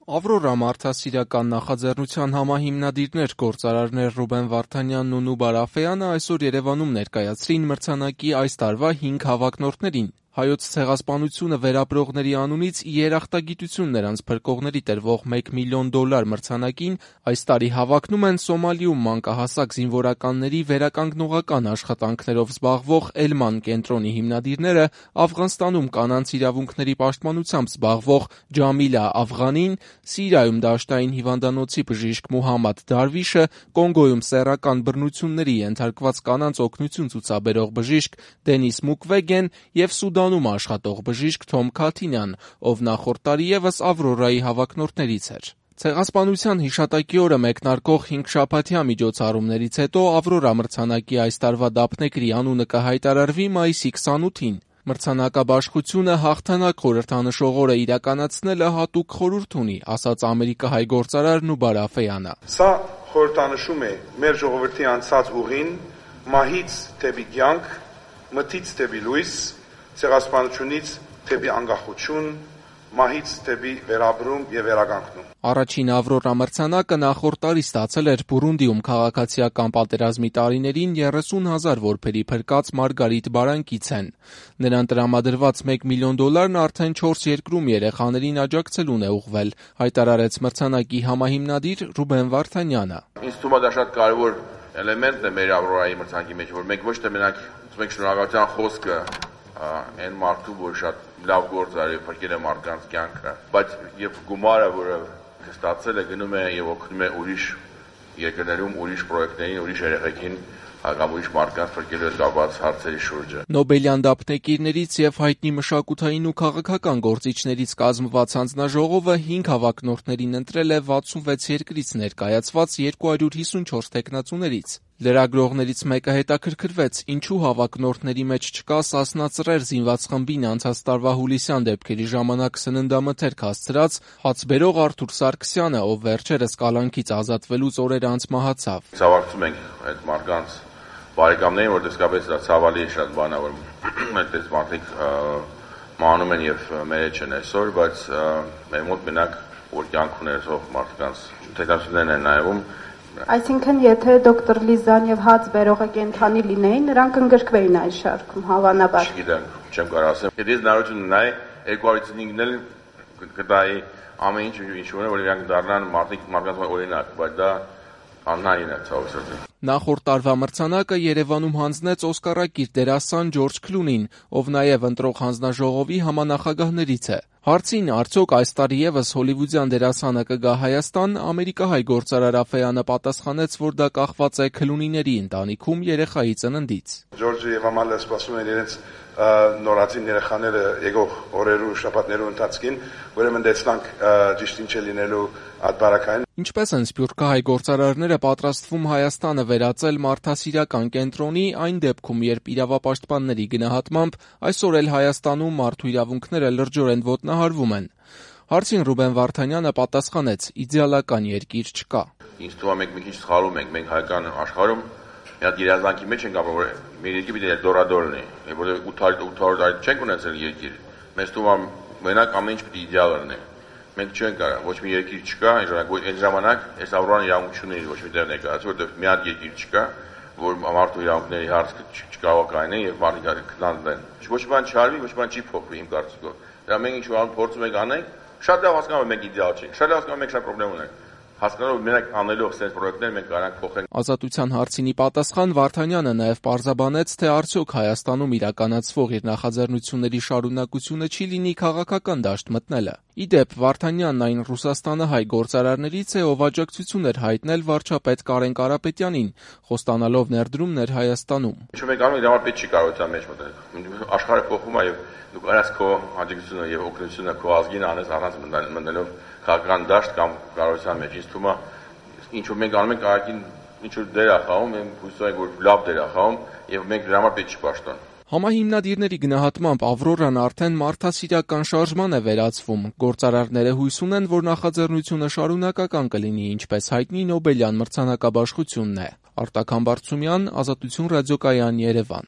Ավրորա մարդասիրական նախաձեռնության համահիմնադիրներ գործարարներ Ռուբեն Վարդանյանն ու Նուբար Աֆեյանը այսօր Երևանում ներկայացրին մրցանակի այս տարվա 5 հավակնորդներին։ Հայոց ցեղասպանությունը վերապրողների անունից ի երախտագիտություն նրանց փրկողների տրվող $1 միլիոն մրցանակին այս տարի հավակնում են Սոմալիում մանկահասակ զինվորականների վերականգնողական աշխատանքներով զբաղվող Էլման կենտրոնի հիմնադիրները, Աֆղանստանում կանանց իրավունքների պաշտպանությամբ զբաղվող Ջամիլա Աֆղանին, Սիրիայում դաշտային հիվանդանոցի բժիշկ Մուհամմադ Դարվիշը, Կոնգոյում սեռական բռնությունների ենթարկված կանանց օգնություն ցուցաբերող բժիշկ Դենիս Մուկվեգեն և Սուդանում աշխատող բժիշկ Թոմ Քաթինյան, ով նախորդ տարի ևս Ավրորայի հավակնորդներից էր։ Ցեղասպանության հիշատակի օրը մեկնարկող 5-շաբաթյա միջոցառումներից հետո Ավրորա մրցանակի այս տարվա դափնեկրի անունը կհայտարարվի մայիսի 28-ին։ Մրցանակաբաշխությունը հաղթանակ խորհրդանշող օրը իրականացնելը հատուկ խորհուրդ ունի, ասաց ամերիկահայ գործարար Նուբար Աֆեյանը։ Սա խորհրդանշում է մեր ժողովրդի անցած ուղին, մահից դեպի կյանք, մթից դեպի լույս, ցեղասպանությունից դեպի անկախություն, մահից դեպի վերաբրում եւ վերականգնում։ Առաջին Ավրորա մրցանակը նախորդ տարի ստացել էր Բուրունդիում քաղաքացիական պատերազմի տարիներին 30,000 որբերի փրկած Մարգարիտ Բարանկիցեն։ Նրան տրամադրված $1 միլիոն արդեն 4 երկրում երեխաներին աջակցելուն է ուղղվել, հայտարարեց մրցանակի համահիմնադիր Ռուբեն Վարդանյանը։ Ինձ թվում է դա շատ կարևոր էլեմենտ է մեր Ավրորայի մրցանակի մեջ, որ մենք ոչ թե մենակ շնորհակալության խոսքը այն մարդու, որ շատ լավ գործ արի, փրկել է մարդկանց կյանքը, բայց եւ գումարը, որը ստացել է, գնում է եւ օգնում է ուրիշ երկրներում, ուրիշ պրոյեկտներին, ուրիշ երեխեքին կամ ուրիշ մարդկանց փրկելու հետ կապված հարցերի շուրջը։ Նոբելյան դափնեկիրներից եւ հայտնի մշակութային ու քաղաքական գործիչներից կազմված հանձնաժողովը 5 հավակնորդներին ընտրել է 66 երկրից ներկայացված 254 թեկնածուներից։ Լրագրողներից մեկը հետաքրքրվեց, ինչու հավակնորդների մեջ չկա Սասնա Ծռեր զինված խմբին անցած տարվա հուլիսյան դեպքերի ժամանակ սննդամթերք հասցրած հացբերող Արթուր Սարգսյանը, ով վերջերս կալանքից ազատվելուց օրեր անց մահացավ։ Ցավակցում ենք այդ մարդկանց բարեկամներին, որ իսկապես դա ցավալի է շատ բան է, որ այդպես մարդիկ մահանում են եւ մեր հետ չեն այսօր, բայց մեր մոտ մենակ որ կյանք ունեցող մարդկանց թեկնածուներն են նայվում։ Այսինքն, եթե դոկտոր Լիզան եւ հաց բերողը կենթանի լինեին, նրանք ընդգրկվեին այս շարքում, հավանաբար։ Չգիտեմ, չեմ կարող ասեմ։ Եթե ես նարություն ունենայի 255-ն էլ կտայի ամեն ինչ ունի, որ իրանք դառնան մարդկանց օրինակ, բայց դա անհնարին է ցավոք։ Նախորդ տարվա մրցանակը Երևանում հանձնեց օսկարակիր դերասան Ջորջ Քլունին, ով նաև ընտրող հանձնաժողովի համանախագահներից է։ Հարցին արդյոք այս տարի ևս հոլիվուդյան դերասանը կգա Հայաստան, ամերիկահայ գործարար Աֆեյանը պատասխանեց, որ դա կախված է Քլունիների ընտանիքում երեխայի ծննդից։ Ջորջը եւ Ամալը սպասում են իրենց նորածին երեխաները եկող օրերու շաբաթներու ընթացքին, ուրեմն դեսնանք ճիշտ ինչ է լինելու ադբարակային։ Ինչպես են սփյուռքահայ գործարարները պատրաստվում Հայաստանը վերածել մարդասիրական կենտրոնի այն դեպքում, երբ իրավապաշտպանների գնահատմամբ այսօր էլ Հայաստանում մարդու իրավունքները լրջորեն ոտնահարվում են։ Հարցին Ռուբեն Վարդանյանը պատասխանեց. իդեալական երկիր չկա։ Ինձ թվում է մենք մի քիչ սխալում ենք, մենք հայկական աշխարհում մի հատ երազանքի մեջ ենք ապրում, որ մեր երկիրը պիտի դորադոր լինի, որովհետեւ 800 տարի չենք ունեցել երկիր։ Մեզ թվում է մենակ ամեն ինչ պիտի իդեալ լինի։ Մենք չենք կարող, ոչ մի երկիր չկա, այն ժամանակ այս Ավրորան իրավունք չունի ոչ մի տեղ ներկայացել, որովհետեւ մի հատ երկիր չկա, որ մարդու իրավունքների հարցը չկարող կայնի եւ մարդիկ քննադեն։ Ոչ բան չարվի, ոչ բան չի փոխվի իմ կարծիքով։ Դա մենք ինչ որ փորձում ենք անենք, շատ լավ հասկանալ ենք մենք իդեալ չենք, շատ լավ հասկանալ մենք շատ խնդրեմ ունենք։ Հասկանալով մենակ անելով sense պրոյեկտներ մենք կարանք փոխենք։ Ազատության հարցինի պատասխան Վարդանյանը նաև պարզաբանեց, թե արդյոք Հայաստանում իրականացվող իր նախաձեռնությունների շարունակությունը չի լինի քաղաքական դաշտ մտնելը։ Ի դեպ, Վարդանյանն այն Ռուսաստանը հայ գործարարներից է, ով աջակցություն էր հայտնել վարչապետ Կարեն Կարապետյանին, խոստանալով ներդրումներ Հայաստանում։ Ինչու՞ մենք անում ենք, դա պետք չի կարող դա մեջ մտնել։ Աշխարհը փոխվում է եւ դու կարաս քո աջակցությունը եւ օգնությունը քո ազգին անես առանց մտնելով քաղաքական դաշտ կամ կառավարության մեջ։ Ինձ թվում է ինչ որ մենք անում ենք քաղաքին ինչ որ դեր է խաղում, մենք հույս ունենք որ լավ դեր է խաղում եւ մենք դրա համար պետք չի պաշտպան։ Համահիմնադիրների գնահատմամբ Ավրորան արդեն մարդասիրական շարժման է վերածվում։ Գործարարները հույս ունեն, որ նախաձեռնությունը շարունակական կլինի, ինչպես հայտնի Նոբելյան մրցանակաբաշխությունն է։ Արտակ Համբարձումյան, Ազատություն ռադիոկայան, Երևան։